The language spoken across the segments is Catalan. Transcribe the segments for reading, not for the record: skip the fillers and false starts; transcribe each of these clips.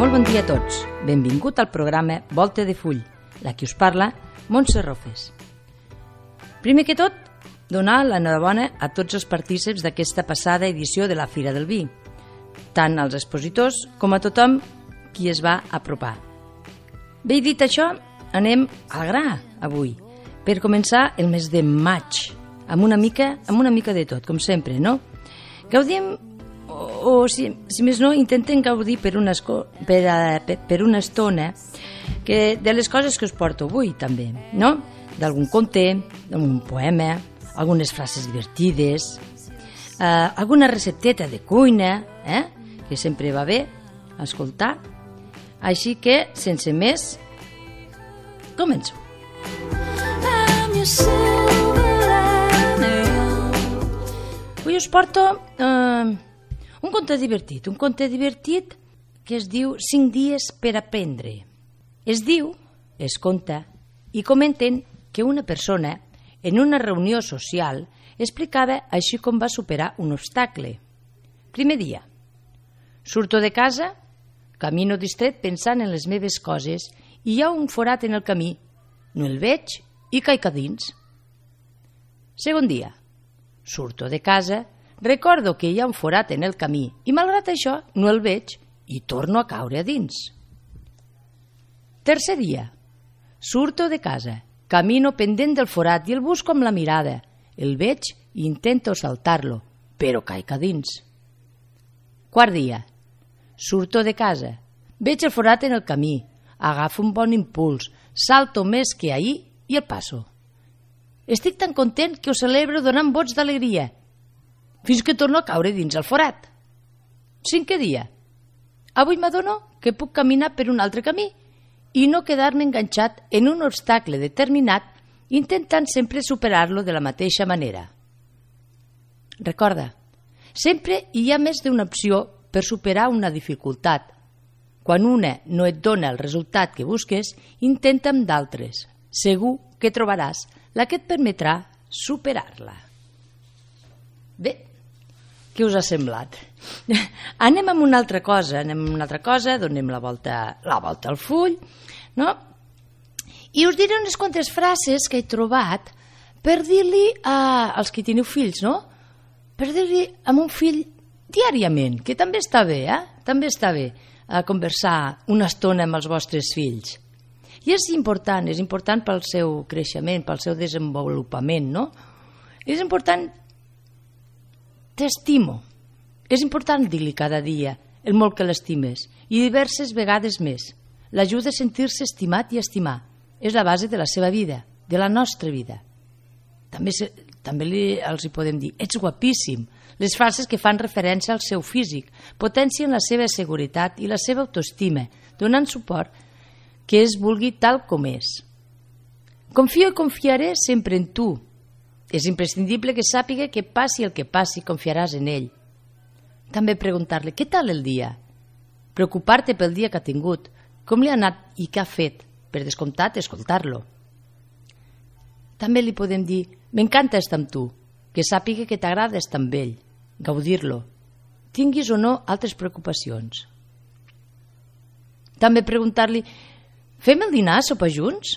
Molt bon dia a tots. Benvingut al programa Volta de Full, la que us parla, Montse Rofes. Primer que tot, donar l'enhorabona a tots els partícips d'aquesta passada edició de la Fira del Vi, tant als expositors com a tothom qui es va apropar. Bé dit això, anem al gra avui, per començar el mes de maig, amb una mica de tot, com sempre, no? Gaudim, o si més no, intentem gaudir per una estona de les coses que us porto avui, també, no? D'algun conte, d'algun poema, algunes frases divertides, alguna recepteta de cuina, que sempre va bé escoltar. Així que, sense més, començo. Avui us porto un conte divertit que es diu 5 dies per aprendre. Es diu, es conta i comenten que una persona en una reunió social explicava així com va superar un obstacle. Primer dia. Surto de casa, camino distret pensant en les meves coses i hi ha un forat en el camí. No el veig i caic a dins. Segon dia. Surto de casa, recordo que hi ha un forat en el camí i malgrat això no el veig i torno a caure a dins. Tercer dia. Surto de casa, camino pendent del forat i el busco amb la mirada. El veig i intento saltar-lo, però caic a dins. Quart dia. Surto de casa, veig el forat en el camí, agafo un bon impuls, salto més que ahir i el passo. Estic tan content que ho celebro donant vots d'alegria, fins que torno a caure dins el forat. Cinquè dia. Avui m'adono que puc caminar per un altre camí i no quedar-me enganxat en un obstacle determinat intentant sempre superar-lo de la mateixa manera. Recorda, sempre hi ha més d'una opció per superar una dificultat. Quan una no et dona el resultat que busques, intenta amb d'altres. Segur que trobaràs la que et permetrà superar-la. Bé, què us ha semblat? Anem amb una altra cosa, donem la volta al full, no? I us diré unes quantes frases que he trobat per dir-li als que teniu fills, no? Per dir-li a un fill diàriament, que també està bé, També està bé conversar una estona amb els vostres fills. I és important pel seu creixement, pel seu desenvolupament, no? És important, t'estimo. És important dir-li cada dia el molt que l'estimes i diverses vegades més. L'ajuda a sentir-se estimat i estimar. És la base de la seva vida, de la nostra vida. També els hi podem dir, ets guapíssim. Les frases que fan referència al seu físic potencien la seva seguretat i la seva autoestima, donant suport que es vulgui tal com és. Confio i confiaré sempre en tu. És imprescindible que sàpiga que passi el que passi, confiaràs en ell. També preguntar-li, què tal el dia? Preocupar-te pel dia que ha tingut, com li ha anat i què ha fet, per descomptat, escoltar-lo. També li podem dir, m'encanta estar amb tu, que sàpiga que t'agrada estar amb ell, gaudir-lo, tinguis o no altres preocupacions. També preguntar-li, fem el dinar, sopar junts?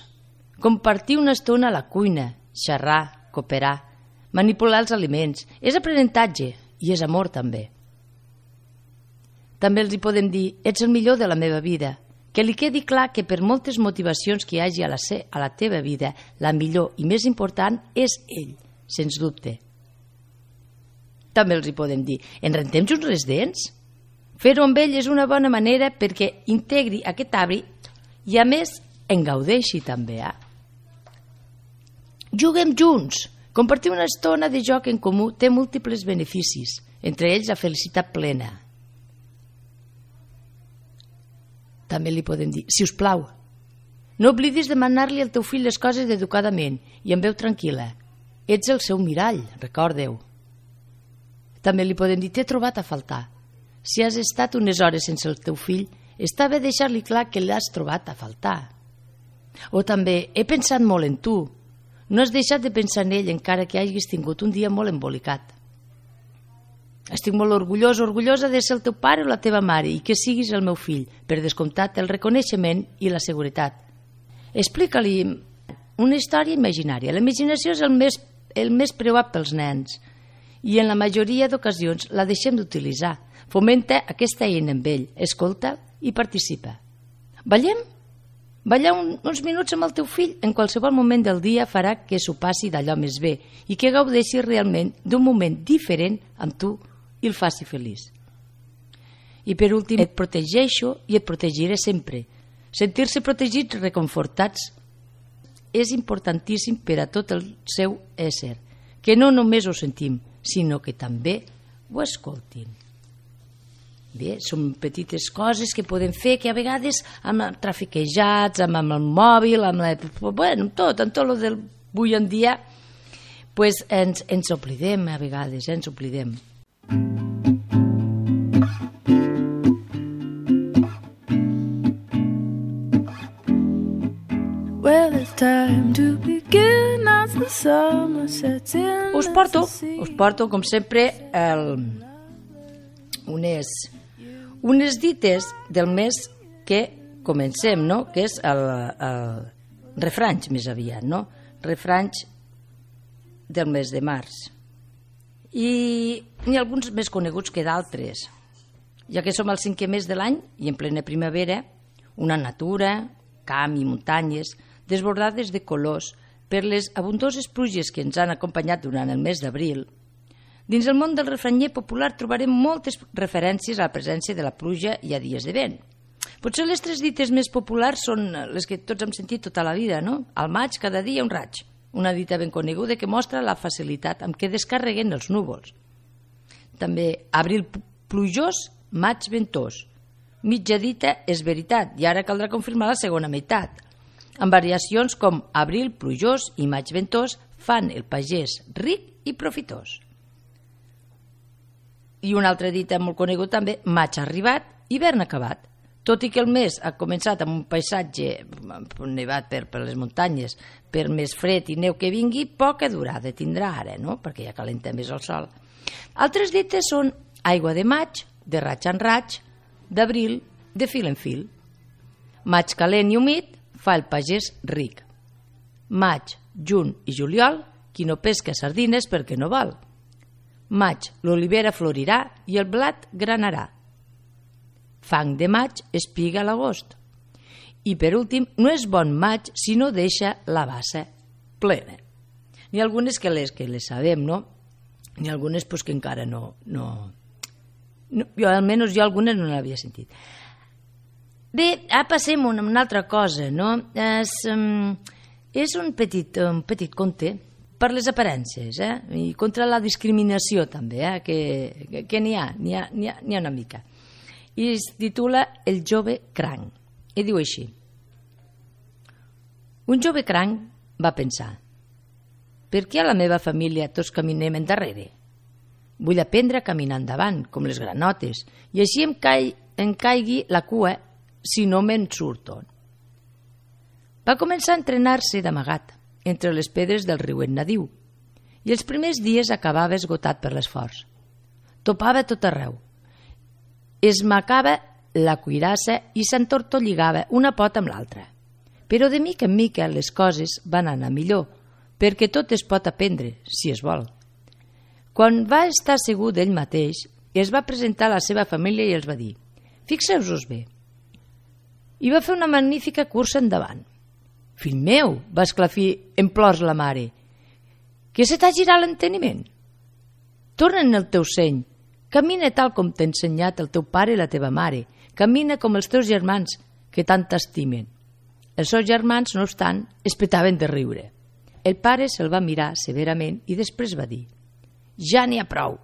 Compartir una estona a la cuina, xerrar, cooperar, manipular els aliments, és aprenentatge i és amor també. També els hi podem dir, ets el millor de la meva vida, que li quedi clar que per moltes motivacions que hi hagi a la teva vida, la millor i més important és ell, sens dubte. També els hi podem dir, ens rentem junts les dents? Fer-ho amb ell és una bona manera perquè integri aquest hàbit i a més en gaudeixi també. Juguem junts. Compartir una estona de joc en comú té múltiples beneficis, entre ells la felicitat plena. També li podem dir, si us plau, no oblidis demanar-li al teu fill les coses educadament i amb veu tranquil·la. Ets el seu mirall, recorda-ho. També li podem dir, t'he trobat a faltar. Si has estat unes hores sense el teu fill, està bé deixar-li clar que l'has trobat a faltar. O també, he pensat molt en tu. No has deixat de pensar en ell encara que hagis tingut un dia molt embolicat. Estic molt orgullós, orgullosa de ser el teu pare o la teva mare i que siguis el meu fill, per descomptat el reconeixement i la seguretat. Explica-li una història imaginària. La imaginació és el més preuat pels nens i en la majoria d'ocasions la deixem d'utilitzar. Fomenta aquesta eina amb ell, escolta i participa. Ballem? Ballar uns minuts amb el teu fill en qualsevol moment del dia farà que s'ho passi d'allò més bé i que gaudeixi realment d'un moment diferent amb tu i el faci feliç. I per últim, et protegeixo i et protegiré sempre. Sentir-se protegits, reconfortats, és importantíssim per a tot el seu ésser, que no només ho sentim, sinó que també ho escoltin. Bé, són petites coses que podem fer que a vegades amb trafiquejats, amb el mòbil, amb tot el del avui en dia, pues ens oblidem a vegades, ens oblidem. Us porto com sempre unes dites del mes que comencem, no? Que és el refranys més aviat, no? Refranys del mes de març. I n'hi ha alguns més coneguts que d'altres. Ja que som al 5è mes de l'any i en plena primavera, una natura, camp i muntanyes desbordades de colors per les abundoses pluges que ens han acompanyat durant el mes d'abril. Dins el món del refranyer popular trobarem moltes referències a la presència de la pluja i a dies de vent. Potser les 3 dites més populars són les que tots hem sentit tota la vida, no? Al maig, cada dia un raig. Una dita ben coneguda que mostra la facilitat amb què descarreguen els núvols. També abril plujós, maig ventós. Mitja dita és veritat i ara caldrà confirmar la segona meitat. Amb variacions com abril plujós i maig ventós fan el pagès ric i profitós. I una altra dita molt coneguda també, maig arribat, hivern acabat. Tot i que el mes ha començat amb un paisatge nevat per les muntanyes, per més fred i neu que vingui, poca durada tindrà ara, no? Perquè ja calenta més el sol. Altres dites són aigua de maig, de raig en raig, d'abril, de fil en fil. Maig calent i humit fa el pagès ric. Maig, juny i juliol, qui no pesca sardines perquè no val. Maig, l'olivera florirà i el blat granarà. Fang de maig, espiga a l'agost. I per últim, no és bon maig si no deixa la bassa plena. N'hi ha algunes que les sabem, no? N'hi ha algunes pues, que encara no almenys jo algunes no l'havia sentit. Bé, ara passem a una altra cosa, no? És un petit conte per les aparences, i contra la discriminació també, que n'hi ha una mica. I es titula El jove cranc. I diu així. Un jove cranc va pensar: per què a la meva família tots caminem endarrere? Vull aprendre a caminar endavant, com les granotes, i així em caigui la cua si no me'n surto. Va començar a entrenar-se d'amagat, entre les pedres del riuet nadiu, i els primers dies acabava esgotat per l'esforç. Topava tot arreu. Esmacava la cuirassa i s'entortolligava una pota amb l'altra. Però de mica en mica les coses van anar millor, perquè tot es pot aprendre, si es vol. Quan va estar segur d'ell mateix, es va presentar a la seva família i els va dir: fixeu-vos bé. I va fer una magnífica cursa endavant. Fill meu, va esclafir en plors la mare, que se t'ha girat l'enteniment? Torna en el teu seny, camina tal com t'ha ensenyat el teu pare i la teva mare, camina com els teus germans, que tant t'estimen. Els seus germans, no obstant, es petaven de riure. El pare se'l va mirar severament i després va dir: ja n'hi ha prou.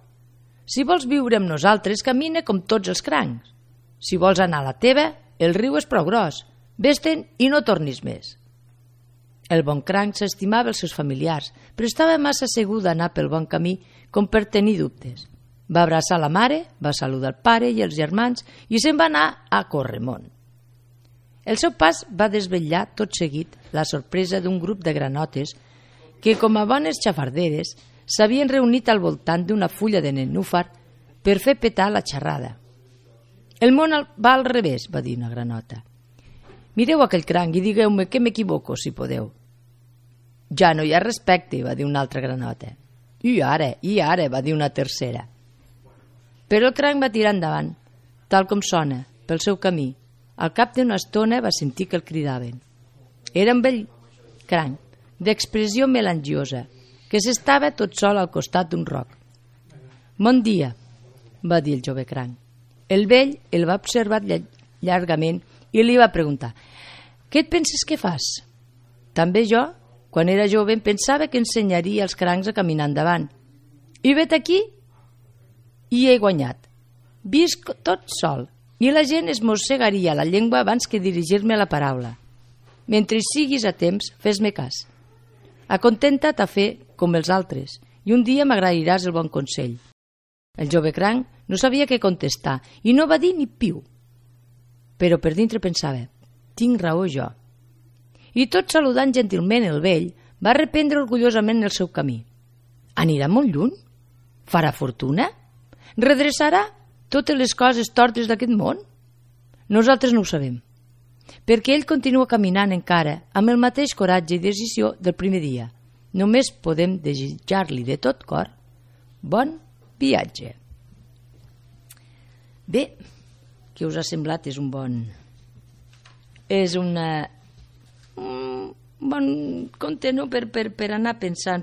Si vols viure amb nosaltres, camina com tots els crancs. Si vols anar a la teva, el riu és prou gros. Vés-te'n i no tornis més. El bon cranc s'estimava els seus familiars, però estava massa segur d'anar pel bon camí com per tenir dubtes. Va abraçar la mare, va saludar el pare i els germans i se'n va anar a Corremont. El seu pas va desvetllar tot seguit la sorpresa d'un grup de granotes que, com a bones xafarderes, s'havien reunit al voltant d'una fulla de nenúfar per fer petar la xerrada. El món va al revés, va dir una granota. Mireu aquell cranc i digueu-me que m'equivoco, si podeu. Ja no hi ha respecte, va dir una altra granota. I ara, va dir una tercera. Però el cranc va tirar endavant, tal com sona, pel seu camí. Al cap d'una estona va sentir que el cridaven. Era un vell cranc, d'expressió melangiosa, que s'estava tot sol al costat d'un roc. «Bon dia», va dir el jove cranc. El vell el va observar llargament i li va preguntar: «Què et penses que fas?» «També jo, quan era jove, em pensava que ensenyaria als crancs a caminar endavant. I vet aquí i he guanyat. Visc tot sol i la gent es mossegaria la llengua abans que dirigir-me la paraula. Mentre siguis a temps, fes-me cas. Acontenta't a fer com els altres i un dia m'agrairàs el bon consell». El jove cranc no sabia què contestar i no va dir ni piu. Però per dintre pensava: tinc raó jo. I tot saludant gentilment el vell, va reprendre orgullosament el seu camí. Anirà molt lluny? Farà fortuna? Redreçarà totes les coses tortes d'aquest món? Nosaltres no ho sabem, perquè ell continua caminant encara amb el mateix coratge i decisió del primer dia. Només podem desitjar-li de tot cor bon viatge. Bé, què us ha semblat? És un bon conte, no? Per anar pensant,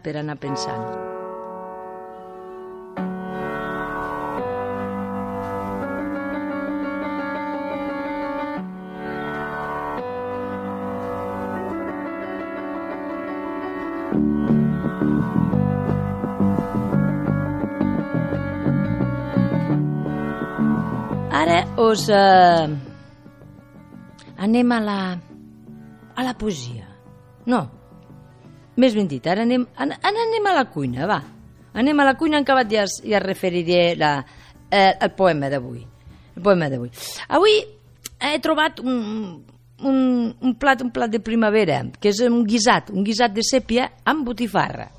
Ara anem a la poesia. No, més ben dit, ara anem a la cuina, va. Anem a la cuina, en acabat ja referiré el poema d'avui. Avui he trobat un plat de primavera, que és un guisat de sèpia amb botifarra.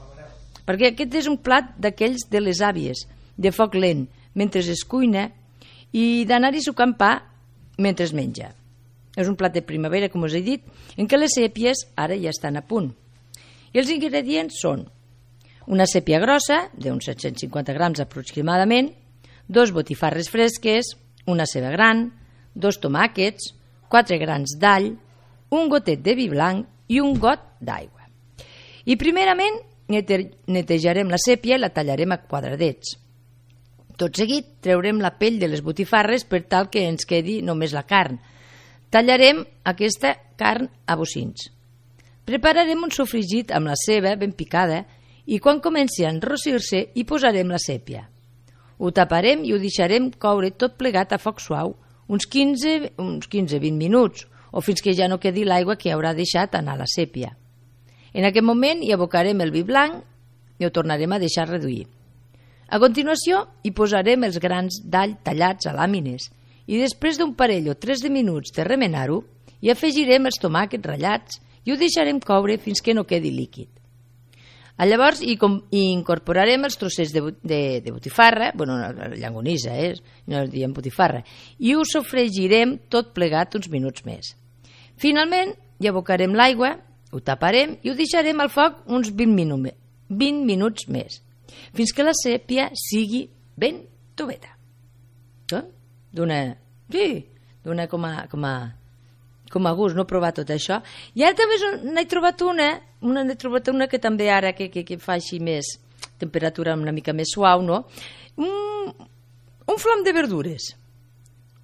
Perquè aquest és un plat d'aquells de les àvies, de foc lent, mentre es cuina, i d'anar-hi sucant pa mentre es menja. És un plat de primavera, com us he dit, en què les sèpies ara ja estan a punt. I els ingredients són una sèpia grossa, d'uns 750 grams aproximadament, 2 botifarres fresques, una ceba gran, 2 tomàquets, 4 grans d'all, un gotet de vi blanc i un got d'aigua. I primerament netejarem la sèpia i la tallarem a quadradets. Tot seguit treurem la pell de les botifarres per tal que ens quedi només la carn. Tallarem aquesta carn a bocins. Prepararem un sofregit amb la ceba ben picada i quan comenci a enrossir-se hi posarem la sèpia. Ho taparem i ho deixarem coure tot plegat a foc suau uns 15-20 minuts o fins que ja no quedi l'aigua que haurà deixat anar la sèpia. En aquest moment hi abocarem el vi blanc i ho tornarem a deixar reduir. A continuació hi posarem els grans d'all tallats a làmines i després d'un parell o 3 de minuts de remenar-ho hi afegirem els tomàquets ratllats i ho deixarem coure fins que no quedi líquid. Llavors hi incorporarem els trossets de botifarra, llangonissa, no diem botifarra, i ho sofregirem tot plegat uns minuts més. Finalment hi abocarem l'aigua, ho taparem i ho deixarem al foc uns 20 minuts més, fins que la sèpia sigui ben toveta. D'una com a gust, no provar tot això. I ara també n'he trobat una que també ara que fa així més temperatura una mica més suau, no? Un flam de verdures.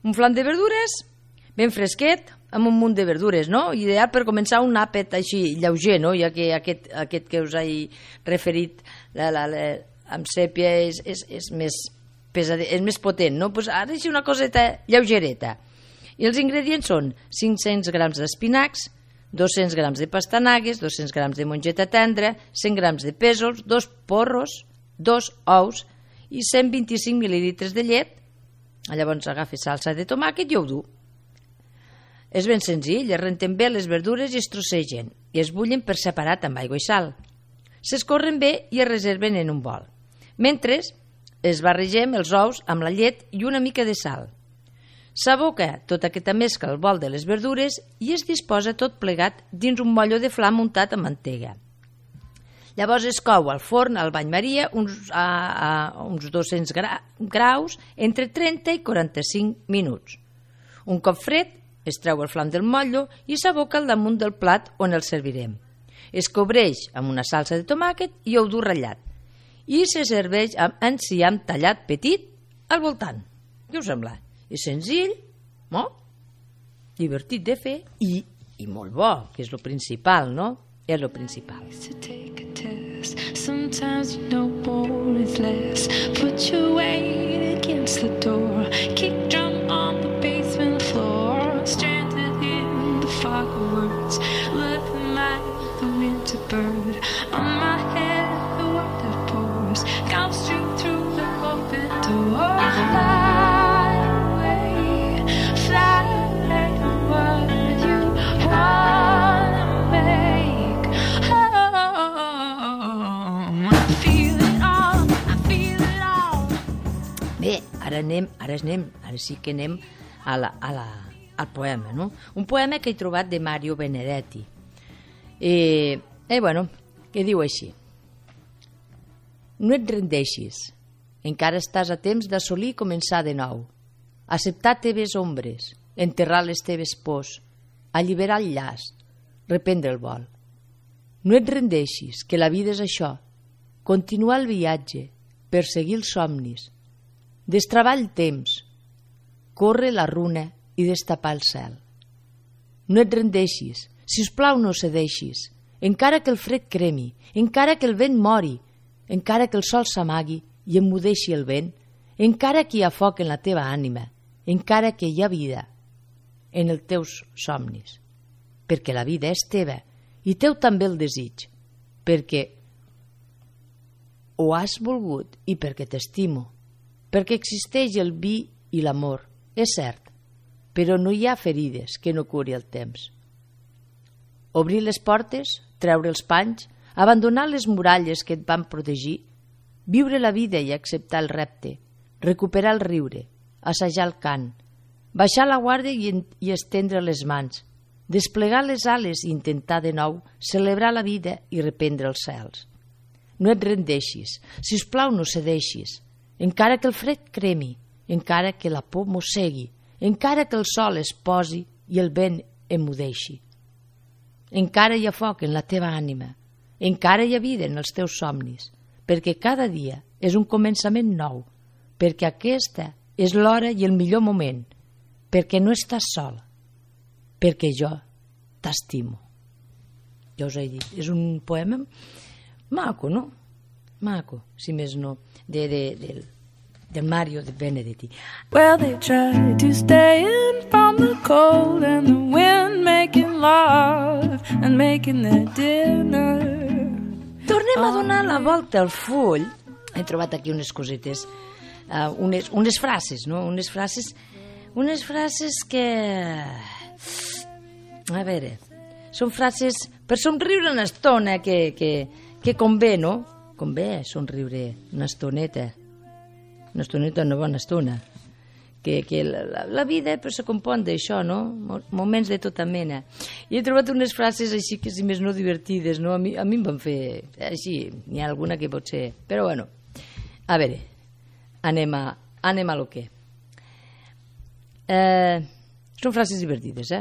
Un flam de verdures ben fresquet, amb un munt de verdures, no? Ideal per començar un àpat així lleuger, no? Ja que aquest que us he referit amb sèpia és més potent, no? Pues ara és una coseta lleugereta. I els ingredients són 500 grams d'espinacs, 200 grams de pastanagues, 200 grams de mongeta tendra, 100 grams de pèsols, 2 porros, 2 ous i 125 mil·lilitres de llet. Llavors agafa salsa de tomàquet i ho dur. És ben senzill, es renten bé les verdures i es trossegen i es bullen per separat amb aigua i sal. S'escorren bé i es reserven en un bol. Mentre es barregem els ous amb la llet i una mica de sal. S'aboca tota aquesta mescla al bol de les verdures i es disposa tot plegat dins un motllo de flam untat amb mantega. Llavors es cou al forn al bany maria a uns 200 graus entre 30 i 45 minuts. Un cop fred, es treu el flam del motllo i s'aboca al damunt del plat on el servirem. Es cobreix amb una salsa de tomàquet i ou dur ratllat i se serveix amb enciam tallat petit al voltant. Què us sembla? És senzill, no? Divertit de fer i molt bo, que és el principal, no? És el principal. Sometimes you know more is less. Put your weight against the door. Kick drum on the basement floor. Stranded in the fog of words. Living like the winter bird. On my head the water pours. Come straight through the open door. Fly away, fly what you wanna make. Bé, ara sí que anem al poema, no? Un poema que he trobat de Mario Benedetti. Bueno, que diu així. No et rendeixis, encara estàs a temps d'assolir i començar de nou. Acceptar teves ombres, enterrar les teves pors, alliberar el llast, reprendre el vol. No et rendeixis, que la vida és això, continuar el viatge, perseguir els somnis, destravar el temps, córrer la runa i destapar el cel. No et rendeixis, si us plau no cedeixis, encara que el fred cremi, encara que el vent mori, encara que el sol s'amagui i emmudeixi el vent, encara que hi ha foc en la teva ànima, encara que hi ha vida en els teus somnis, perquè la vida és teva i teu també el desig, perquè ho has volgut i perquè t'estimo, perquè existeix el vi i l'amor, és cert, però no hi ha ferides que no curi el temps. Obrir les portes, treure els panys, abandonar les muralles que et van protegir, viure la vida i acceptar el repte, recuperar el riure, assajar el cant, baixar la guàrdia i estendre les mans, desplegar les ales i intentar de nou celebrar la vida i reprendre els cels. No et rendeixis, si us plau no cedeixis, encara que el fred cremi, encara que la por mossegui, encara que el sol es posi i el vent emmudeixi. Encara hi ha foc en la teva ànima, encara hi ha vida en els teus somnis, perquè cada dia és un començament nou, perquè aquesta és l'hora i el millor moment, perquè no estàs sol, perquè jo t'estimo. Ja us he dit, és un poema maco, no? Maco, si més no, del Mario de Benedetti. Well, they tried to stay in from the cold and the wind, making love and making their dinner. Tornem a donar la volta al full. He trobat aquí unes cosetes, unes frases, no? Unes frases que... A veure, són frases per somriure una estona que convé, no? Convé somriure una estoneta, una bona estona. Que la vida se compon d'això, no? Moments de tota mena. I he trobat unes frases així que, si més no, divertides, no? A mi em van fer així, n'hi ha alguna que pot ser... Però bueno, a veure, anem a lo que... Són frases divertides,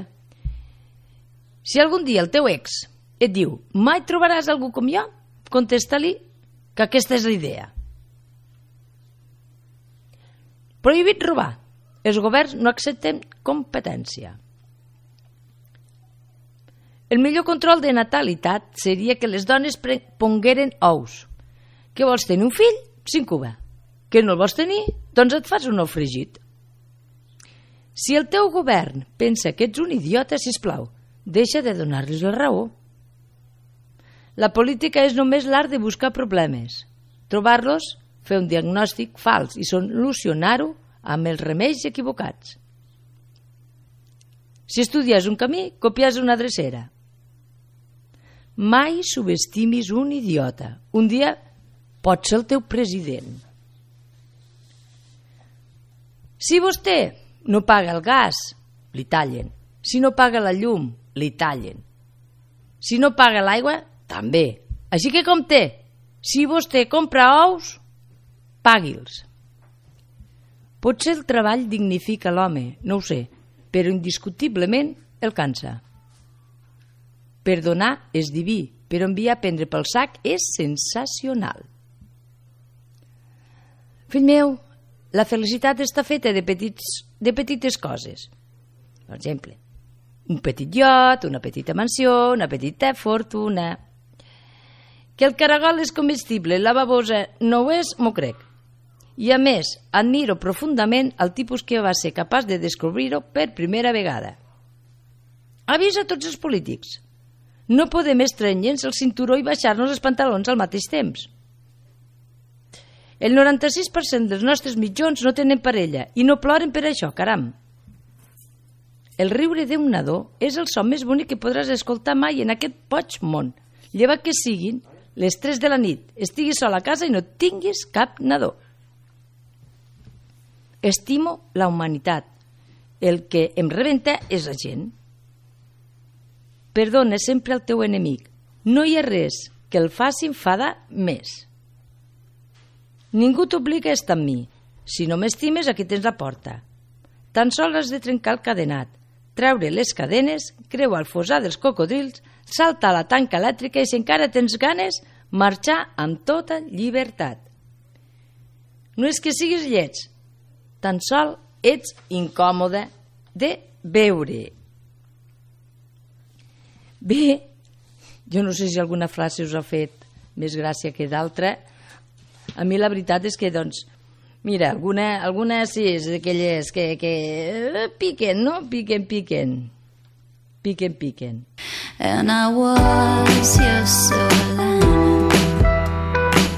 Si algun dia el teu ex et diu mai trobaràs algú com jo, contesta-li que aquesta és la idea. Prohibit robar. Els governs no accepten competència. El millor control de natalitat seria que les dones pongueren ous. Que vols tenir un fill? S'incuba. Que no el vols tenir? Doncs et fas un ou fregit. Si el teu govern pensa que ets un idiota, sisplau, deixa de donar-los la raó. La política és només l'art de buscar problemes, trobar-los, fer un diagnòstic fals i solucionar-ho amb els remeis equivocats. Si estudies un camí, copies una drecera. Mai subestimis un idiota. Un dia pot ser el teu president. Si vostè no paga el gas, li tallen. Si no paga la llum, li tallen. Si no paga l'aigua, també. Així que compte, si vostè compra ous, pagui-los. Potser el treball dignifica l'home, no ho sé, però indiscutiblement el cansa. Perdonar és diví, però enviar a prendre pel sac és sensacional. Fill meu, la felicitat està feta de petites coses. Per exemple, un petit iot, una petita mansió, una petita fortuna. Que el caragol és comestible, la babosa no ho és, m'ho crec. I a més, admiro profundament el tipus que va ser capaç de descobrir-ho per primera vegada. Avisa a tots els polítics. No podem estrènyer-nos el cinturó i baixar-nos els pantalons al mateix temps. El 96% dels nostres mitjons no tenen parella i no ploren per això, caram. El riure d'un nadó és el so més bonic que podràs escoltar mai en aquest boig món, llevat que siguin les 3 de la nit, estiguis sol a casa i no tinguis cap nadó. Estimo la humanitat. El que em rebenta és la gent. Perdona sempre el teu enemic. No hi ha res que el faci enfadar més. Ningú t'obliga a estar amb mi. Si no m'estimes, aquí tens la porta. Tan sols has de trencar el cadenat, treure les cadenes, creuar el fossar dels cocodrils, saltar la tanca elèctrica i, si encara tens ganes, marxar amb tota llibertat. No és que siguis lleig, tan sol ets incòmode de veure. Bé, jo no sé si alguna frase us ha fet més gràcia que d'altra. A mi la veritat és que, doncs, mira, alguna sí, és d'aquelles que piquen, no? Piquen. And I was your Solana,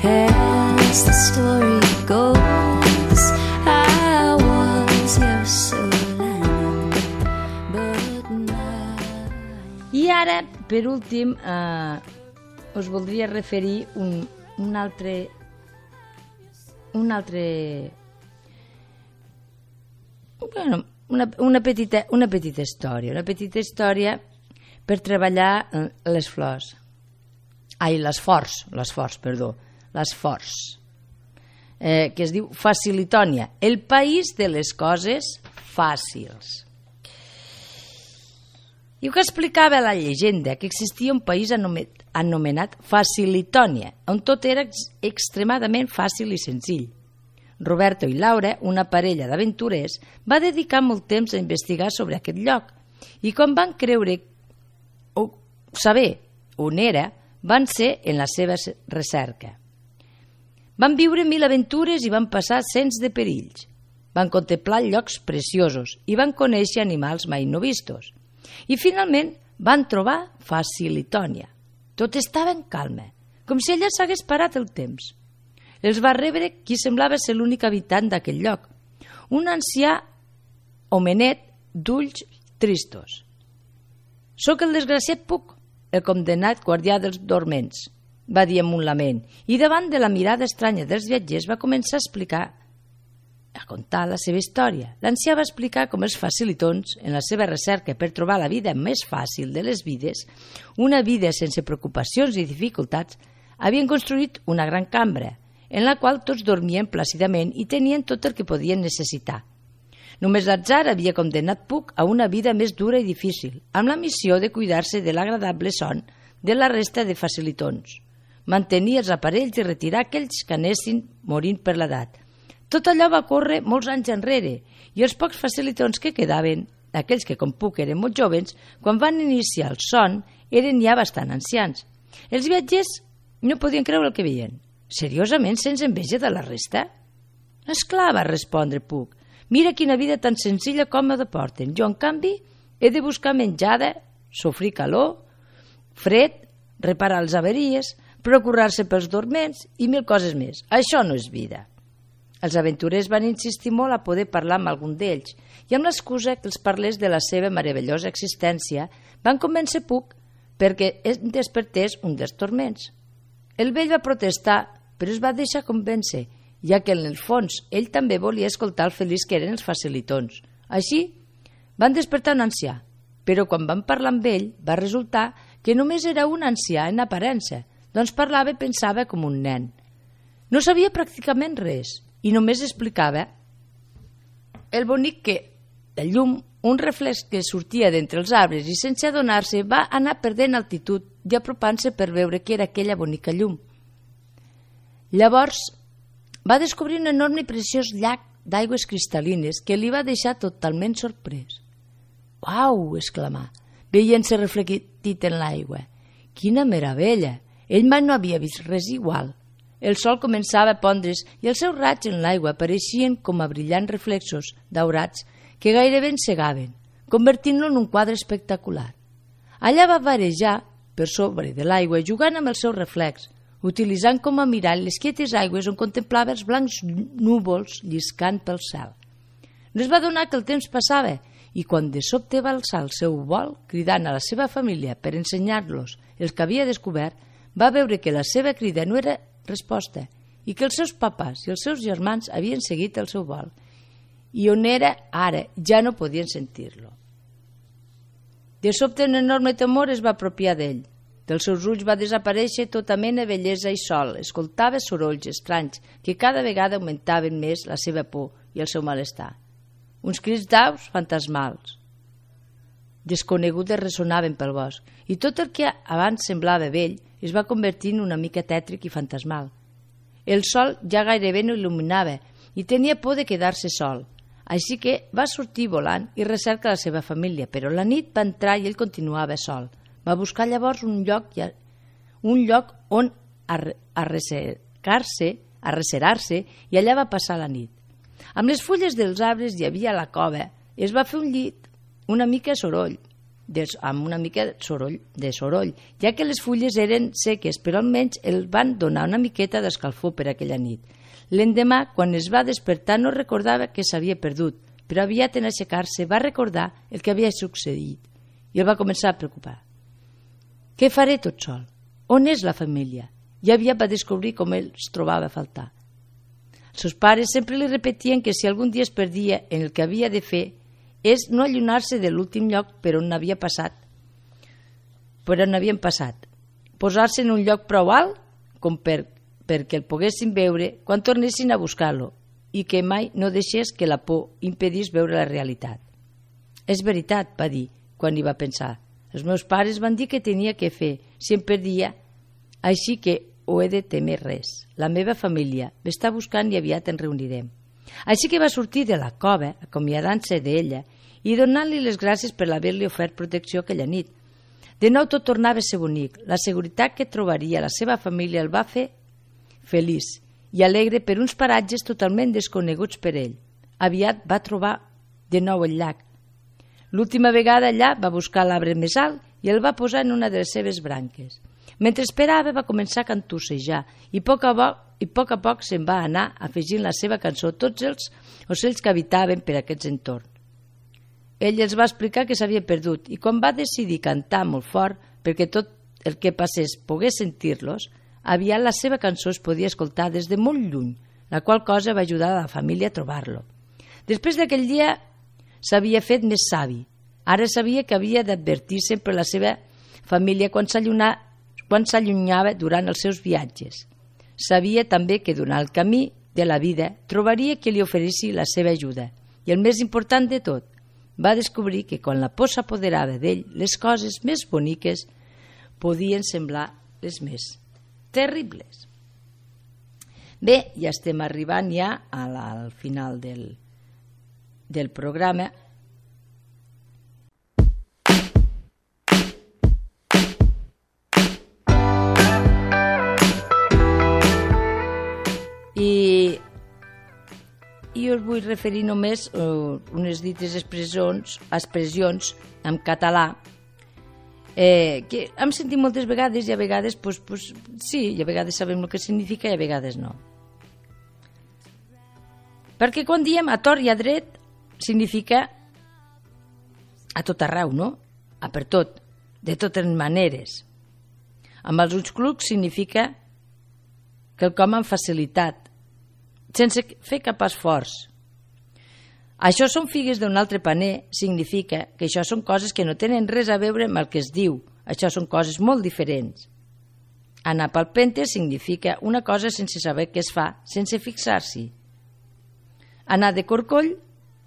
as the story goes. I was your Solana, but now... I ara, per últim, us voldria referir un altre bueno, una petita història per treballar les flors. Les forts, que es diu Facilitònia, el país de les coses fàcils. I que explicava la llegenda que existia un país anomenat Facilitònia, on tot era extremadament fàcil i senzill. Roberto i Laura, una parella d'aventurers, va dedicar molt temps a investigar sobre aquest lloc i quan van creure o saber on era, van ser en la seva recerca. Van viure 1000 aventures i van passar cents de perills. Van contemplar llocs preciosos i van conèixer animals mai no vistos. I finalment van trobar Facilitònia. Tot estava en calma, com si allà s'hagués parat el temps. Els va rebre qui semblava ser l'únic habitant d'aquell lloc, un ancià homenet d'ulls tristos. «Soc el desgraciat Puc, el condemnat guardià dels dorments», va dir amb un lament, i davant de la mirada estranya dels viatgers va començar a contar la seva història. L'ancià va explicar com els facilitons, en la seva recerca per trobar la vida més fàcil de les vides, una vida sense preocupacions i dificultats, havien construït una gran cambra, en la qual tots dormien plàcidament i tenien tot el que podien necessitar. Només l'atzar havia condemnat Puc a una vida més dura i difícil, amb la missió de cuidar-se de l'agradable son de la resta de facilitons, mantenir els aparells i retirar aquells que anessin morint per l'edat. Tot allò va córrer molts anys enrere i els pocs facilitons que quedaven, aquells que com Puc eren molt joves, quan van iniciar el son eren ja bastant ancians. Els viatgers no podien creure el que veien. Seriosament, sense enveja de la resta? Esclar, va respondre Puc. Mira quina vida tan senzilla i còmoda porten. Jo, en canvi, he de buscar menjada, sofrir calor, fred, reparar les averies, procurar-se pels dorments i 1000 coses més. Això no és vida. Els aventurers van insistir molt a poder parlar amb algun d'ells i amb l'excusa que els parlés de la seva meravellosa existència van convèncer Puc perquè despertés un dels torments. El vell va protestar, però es va deixar convèncer ja que en el fons ell també volia escoltar el feliç que eren els facilitons. Així, van despertar un ancià, però quan van parlar amb ell va resultar que només era un ancià en aparença, doncs parlava i pensava com un nen. No sabia pràcticament res i només explicava el bonic que la llum, un reflex que sortia d'entre els arbres i sense adonar-se va anar perdent altitud i apropant-se per veure què era aquella bonica llum. Llavors va descobrir un enorme i preciós llac d'aigües cristal·lines que li va deixar totalment sorprès. «Uau!», exclamà, veient-se reflectit en l'aigua. «Quina meravella! Ell mai no havia vist res igual». El sol començava a pondre's i els seus raigs en l'aigua apareixien com a brillants reflexos daurats que gairebé encegaven, convertint-lo en un quadre espectacular. Allà va varejar per sobre de l'aigua jugant amb el seu reflex, utilitzant com a mirall les quietes aigües on contemplava els blancs núvols lliscant pel cel. No es va adonar que el temps passava i quan de sobte va alçar el seu vol, cridant a la seva família per ensenyar-los el que havia descobert, va veure que la seva crida no era resposta i que els seus papàs i els seus germans havien seguit el seu vol i on era ara ja no podien sentir-lo. De sobte un enorme temor es va apropiar d'ell. Dels seus ulls va desaparèixer tota mena de bellesa i sol. Escoltava sorolls estranys que cada vegada augmentaven més la seva por i el seu malestar. Uns crits d'aus fantasmals desconegudes ressonaven pel bosc i tot el que abans semblava vell es va convertir en una mica tètric i fantasmal. El sol ja gairebé no il·luminava i tenia por de quedar-se sol, així que va sortir volant i recerca la seva família, però la nit va entrar i ell continuava sol. Va buscar llavors un lloc on arrecerar-se i allà va passar la nit. Amb les fulles dels arbres hi havia la cova, es va fer un llit amb una mica de soroll, ja que les fulles eren seques, però almenys el van donar una miqueta d'escalfor per aquella nit. L'endemà, quan es va despertar, no recordava que s'havia perdut, però aviat en aixecar-se va recordar el que havia succeït i el va començar a preocupar. Què faré tot sol? On és la família? I aviat va descobrir com ell es trobava a faltar. Els seus pares sempre li repetien que si algun dia es perdia en el que havia de fer és no allunyar-se de l'últim lloc per on havien passat, posar-se en un lloc prou alt com perquè el poguessin veure quan tornessin a buscar-lo i que mai no deixés que la por impedís veure la realitat. «És veritat», va dir quan hi va pensar. «Els meus pares van dir que tenia que fer si em perdia, així que ho he de temer res. La meva família m'està buscant i aviat ens reunirem». Així que va sortir de la cova, acomiadant-se d'ella i donant-li les gràcies per haver-li ofert protecció aquella nit. De nou tot tornava a ser bonic. La seguretat que trobaria la seva família el va fer feliç i alegre per uns paratges totalment desconeguts per ell. Aviat va trobar de nou el llac. L'última vegada allà va buscar l'arbre més alt i el va posar en una de les seves branques. Mentre esperava va començar a cantussejar i a poc a poc se'n va anar afegint la seva cançó a tots els ocells que habitaven per aquests entorns. Ell els va explicar que s'havia perdut i quan va decidir cantar molt fort perquè tot el que passés pogués sentir-los, aviat la seva cançó es podia escoltar des de molt lluny, la qual cosa va ajudar a la família a trobar-lo. Després d'aquell dia s'havia fet més savi. Ara sabia que havia d'advertir sempre la seva família quan s'allunyava durant els seus viatges. Sabia també que durant el camí de la vida trobaria qui li oferissi la seva ajuda. I el més important de tot, va descobrir que quan la por s'apoderava d'ell, les coses més boniques podien semblar les més terribles. Bé, ja estem arribant ja al final del programa. I us vull referir només unes dites expressions en català que hem sentit moltes vegades i a vegades sí, i a vegades sabem el que significa i a vegades no. Perquè quan diem a tort i a dret significa a tot arreu, no? A per tot, de totes maneres. Amb els ulls clucs significa quelcom amb facilitat, sense fer cap esforç. Això són figues d'un altre paner significa que això són coses que no tenen res a veure amb el que es diu. Això són coses molt diferents. Anar palpente significa una cosa sense saber què es fa, sense fixar-s'hi. Anar de corcoll,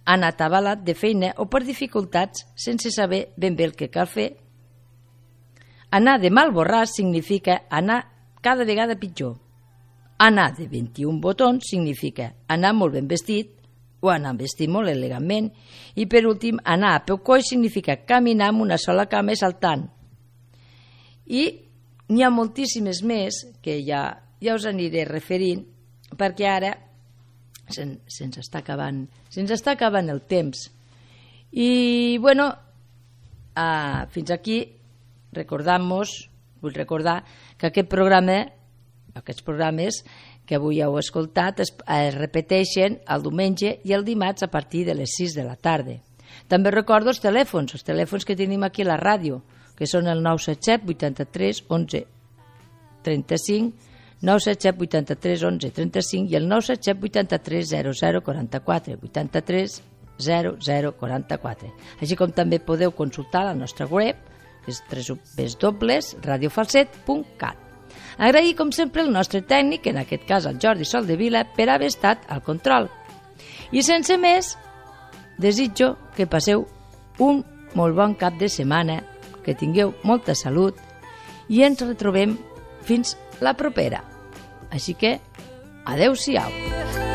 anar atabalat de feina o per dificultats sense saber ben bé el que cal fer. Anar de mal borràs significa anar cada vegada pitjor. Anar de 21 botons significa anar molt ben vestit o anar vestit molt elegantment. I per últim, anar a peu coix significa caminar amb una sola cama i saltant. I n'hi ha moltíssimes més que ja us aniré referint perquè ara se'ns està acabant el temps. I bueno, fins aquí vull recordar que aquests programes que avui heu escoltat es repeteixen el diumenge i el dimarts a partir de les 6 de la tarda. També recordo els telèfons que tenim aquí a la ràdio, que són el 977 83 11 35, 977 83 11 35 i el 977 83 00 44, 83 00 44. Així com també podeu consultar la nostra web, que és www.radiofalset.cat. Agrair, com sempre, el nostre tècnic, en aquest cas el Jordi Soldevila, per haver estat al control. I sense més, desitjo que passeu un molt bon cap de setmana, que tingueu molta salut i ens retrobem fins la propera. Així que, adeu-siau.